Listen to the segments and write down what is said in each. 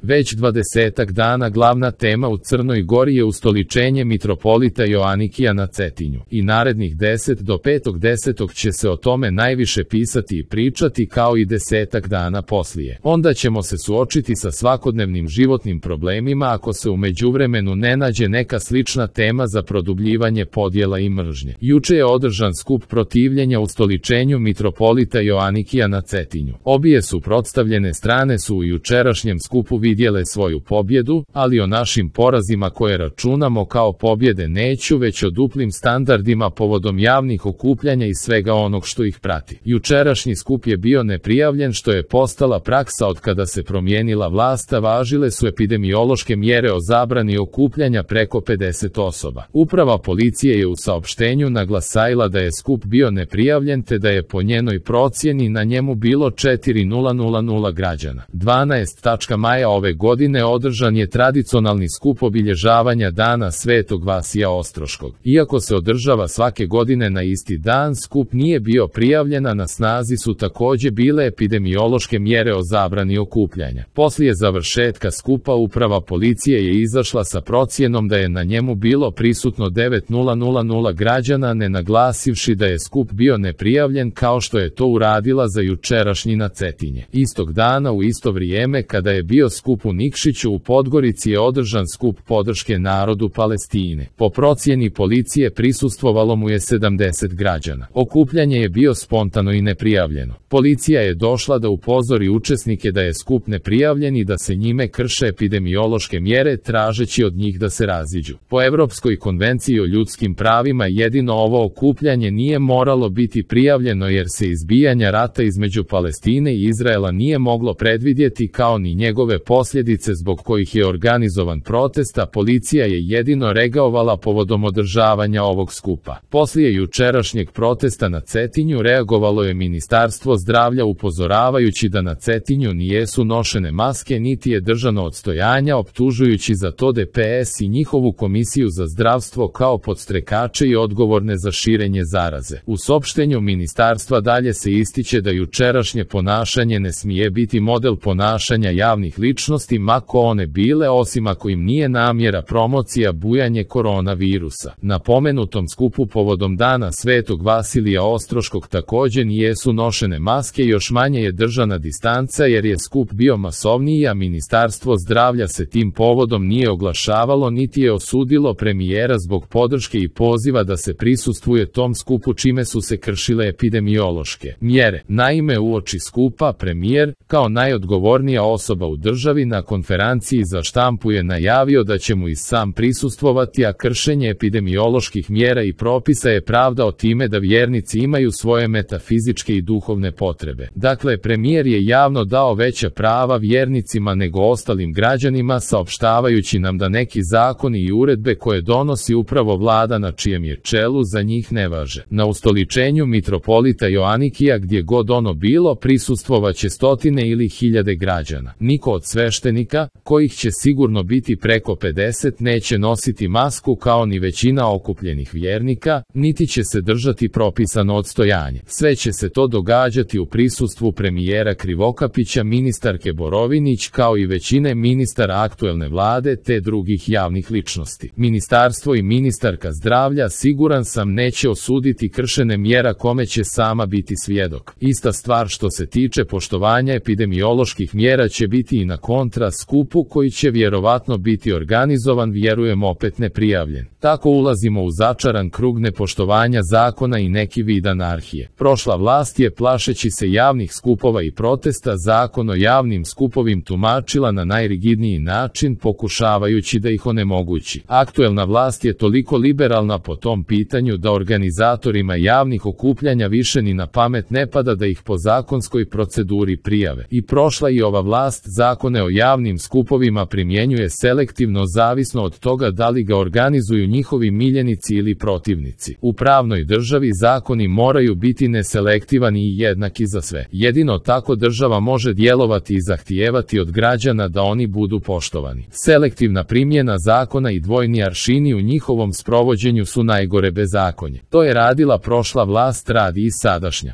Već 20 dana glavna tema u Crnoj Gori je ustoličenje mitropolita Joanikija na Cetinju. I narednih 10 do 5.10. će se o tome najviše pisati i pričati, kao i 10 dana poslije. Onda ćemo se suočiti sa svakodnevnim životnim problemima ako se u međuvremenu ne nađe neka slična tema za produbljivanje podjela i mržnje. Juče je održan skup protivljenja ustoličenju mitropolita Joanikija na Cetinju. Obje suprotstavljene strane su u jučerašnjem skupu vidjele svoju pobjedu, ali o našim porazima koje računamo kao pobjede neću, već o duplim standardima povodom javnih okupljanja i svega onog što ih prati. Jučerašnji skup je bio neprijavljen, što je postala praksa od kada se promijenila vlast, a važile su epidemiološke mjere o zabrani okupljanja preko 50 osoba. Uprava policije je u saopštenju naglasila da je skup bio neprijavljen, te da je po njenoj procjeni na njemu bilo 4.000 građana. 12. maja ove godine održan je tradicionalni skup obilježavanja Dana Svetog Vasija Ostroškog. Iako se održava svake godine na isti dan, skup nije bio prijavljen, a na snazi su također bile epidemiološke mjere o zabrani okupljanja. Poslije završetka skupa uprava policije je izašla sa procjenom da je na njemu bilo prisutno 9.000 građana, ne naglasivši da je skup bio neprijavljen kao što je to uradila za jučerašnji na Cetinje. Istog dana u isto vrijeme kada je bio skup u Nikšiću u Podgorici je održan skup podrške narodu Palestine. Po procjeni policije prisustvovalo mu je 70 građana. Okupljanje je bio spontano i neprijavljeno. Policija je došla da upozori učesnike da je skup neprijavljen i da se njime krše epidemiološke mjere, tražeći od njih da se raziđu. Po Europskoj konvenciji o ljudskim pravima jedino ovo okupljanje nije moralo biti prijavljeno, jer se izbijanja rata između Palestine i Izraela nije moglo predvidjeti, kao ni njegove posljedice zbog kojih je organizovan protest, a policija je jedino reagovala povodom održavanja ovog skupa. Poslije jučerašnjeg protesta na Cetinju reagovalo je Ministarstvo zdravlja upozoravajući da na Cetinju nijesu nošene maske niti je držano odstojanja, optužujući za to DPS i njihovu komisiju za zdravstvo kao podstrekače i odgovorne za širenje zaraze. U saopštenju ministarstva dalje se ističe da jučerašnje ponašanje ne smije biti model ponašanja javnih ličnosti, ma ko one bile, osim ako im nije namjera promocija bujanje koronavirusa. Na pomenutom skupu povodom Dana Svetog Vasilija Ostroškog također nijesu nošene maske, još manje je držana distanca, jer je skup bio masovniji, a Ministarstvo zdravlja se tim povodom nije oglašavalo niti je osudilo premijera zbog podrške i poziva da se prisustvuje tom skupu, čime su se kršile epidemiološke mjere. Naime, uoči skupa premijer, kao najodgovornija osoba u državi, na konferenciji za štampu je najavio da će mu i sam prisustvovati, a kršenje epidemioloških mjera i propisa je pravdao time da vjernici imaju svoje metafizičke i duhovne potrebe. Dakle, premijer je javno dao veća prava vjernicima nego ostalim građanima, saopštavajući nam da neki zakoni i uredbe koje donosi upravo vlada na čijem je čelu za njih ne važe. Na ustoličenju mitropolita Joanikija, gdje god ono bilo, prisustvovaće stotine ili hiljade građana. Niko od sveštenika, kojih će sigurno biti preko 50, neće nositi masku, kao ni većina okupljenih vjernika, niti će se držati propisano odstojanje. Sve će se to događati u prisustvu premijera Krivokapića, ministarke Borovinić, kao i većine ministara aktuelne vlade te drugih javnih ličnosti. Ministarstvo i ministarka zdravlja, siguran sam, neće osuditi kršene mjera kome će sama biti svjedok. Ista stvar što se tiče poštovanja epidemioloških mjera će biti i na kontra skupu, koji će vjerovatno biti organizovan, vjerujem, opet neprijavljen. Tako ulazimo u začaran krug nepoštovanja zakona i neki vid anarhije. Prošla vlast je, plašeći se javnih skupova i protesta, zakon o javnim skupovim tumačila na najrigidniji način, pokušavajući da ih onemogući. Aktuelna vlast je toliko liberalna po tom pitanju da organizatorima javnih okupljanja više ni na pamet ne pada da ih po zakonskoj proceduri prijave. I prošla i ova vlast zakone o javnim skupovima primjenjuje selektivno, zavisno od toga da li ga organizuju njihovi miljenici ili protivnici. U pravnoj državi zakoni moraju biti neselektivani i jednaki za sve. Jedino tako država može djelovati i zahtijevati od građana da oni budu poštovani. Selektivna primjena zakona i dvojni aršini u njihovom sprovođenju su najgore bezakonje. To je radila prošla vlast, radi i sadašnja.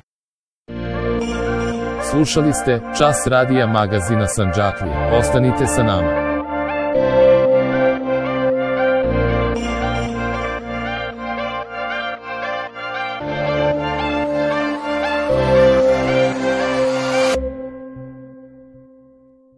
Slušali ste Čas radija magazina Sandžaklije. Ostanite sa nama.